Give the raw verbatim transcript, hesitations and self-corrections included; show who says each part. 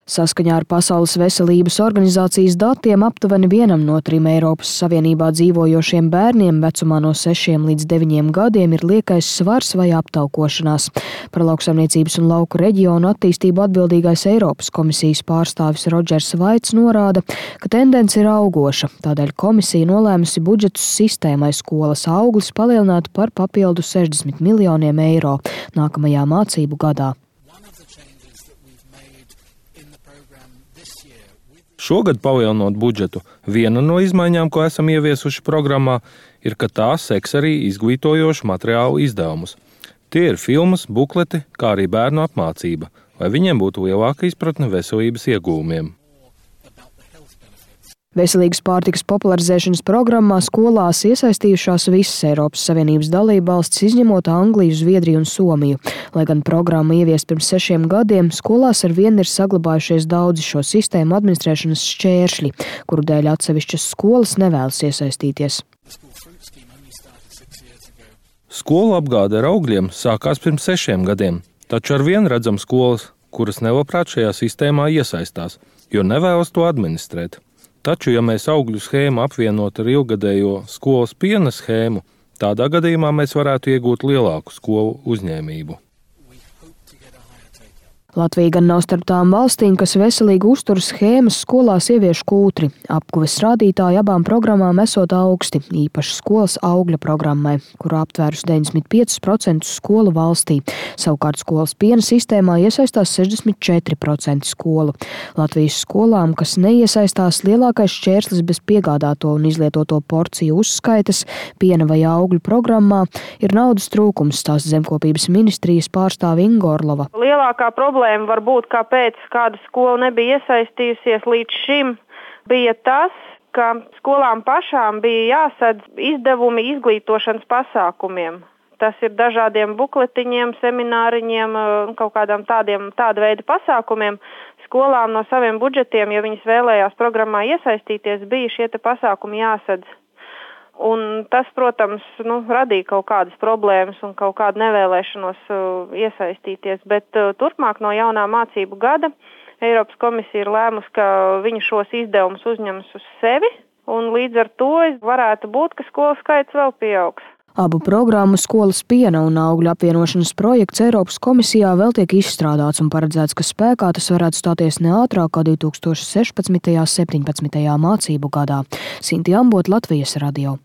Speaker 1: Saskaņā ar Pasaules veselības organizācijas datiem aptuveni vienam no trim Eiropas Savienībā dzīvojošiem bērniem vecumā no sešiem līdz deviņiem gadiem ir liekais svars vai aptaukošanās. Par lauksaimniecības un lauku reģionu attīstību atbildīgais Eiropas komisijas pārstāvis Rodžers Vaits norāda, ka tendence ir augoša, tādēļ komisija nolēmusi budžetus sistēmai skolas auglis palielināt par papildu sešdesmit miljoniem eiro nākamajā mācību gadā.
Speaker 2: Šogad palielinot budžetu, viena no izmaiņām, ko esam ieviesuši programmā, ir, ka tā seks arī izglītojošu materiālu izdevumus. Tie ir filmas, bukleti, kā arī bērnu apmācība, lai viņiem būtu lielāka izpratne veselības iegūmiem.
Speaker 1: Veselīgas pārtikas popularizēšanas programmā skolās iesaistījušās visas Eiropas Savienības dalībvalstis, izņemot Angliju, Zviedriju un Somiju. Lai gan programma ieviesta pirms sešiem gadiem, skolās ar vienu ir saglabājušies daudzi šo sistēmu administrēšanas šķēršļi, kuru dēļ atsevišķas skolas nevēlas iesaistīties.
Speaker 2: Skolu apgāde ar augļiem sākās pirms sešiem gadiem, taču ar vienu redzam skolas, kuras nelabprāt šajā sistēmā iesaistās, jo nevēlas to administrēt. Taču, ja mēs augļu schēmu apvienot ar ilgadējo skolas piena schēmu, tādā gadījumā mēs varētu iegūt lielāku skolu uzņēmību.
Speaker 1: Latvija gan nav starp tām valstīm, kas veselīgu uzturu schēmas skolās ievieš kūtri. Apkuves rādītāji abām programmām esot augsti, īpaši skolas augļa programmai, kura aptvērus deviņdesmit piecus procentus skolu valstī. Savukārt skolas piena sistēmā iesaistās sešdesmit četri procenti skolu. Latvijas skolām, kas neiesaistās, lielākais šķērslis bez piegādāto un izlietoto porciju uzskaites piena vai augļu programmā ir naudas trūkums, stāsta Zemkopības ministrijas pārstāve Inga Orlova.
Speaker 3: Lielākā problēma varbūt, kāpēc kāda skola nebija iesaistījusies līdz šim, bija tas, ka skolām pašām bija jāsadz izdevumi izglītošanas pasākumiem. Tas ir dažādiem bukletiņiem, semināriņiem, kaut kādām tādiem, tāda veida pasākumiem. Skolām no saviem budžetiem, ja viņas vēlējās programmā iesaistīties, bija šie te pasākumi jāsadz. Un tas, protams, nu, radīja kaut kādas problēmas un kaut kādu nevēlēšanos uh, iesaistīties, bet uh, turpmāk no jaunā mācību gada Eiropas komisija ir lēmusi, ka viņi šos izdevumus uzņems uz sevi, un līdz ar to varētu būt, ka skolu skaits vēl pieaugs.
Speaker 1: Abu programmu skolas piena un augļu apvienošanas projekts Eiropas komisijā vēl tiek izstrādāts un paredzēts, ka spēkā tas varētu stāties ne ātrāk kā divi tūkstoši sešpadsmitajā un septiņpadsmitajā mācību gadā. Sinti Ambot, Latvijas radio.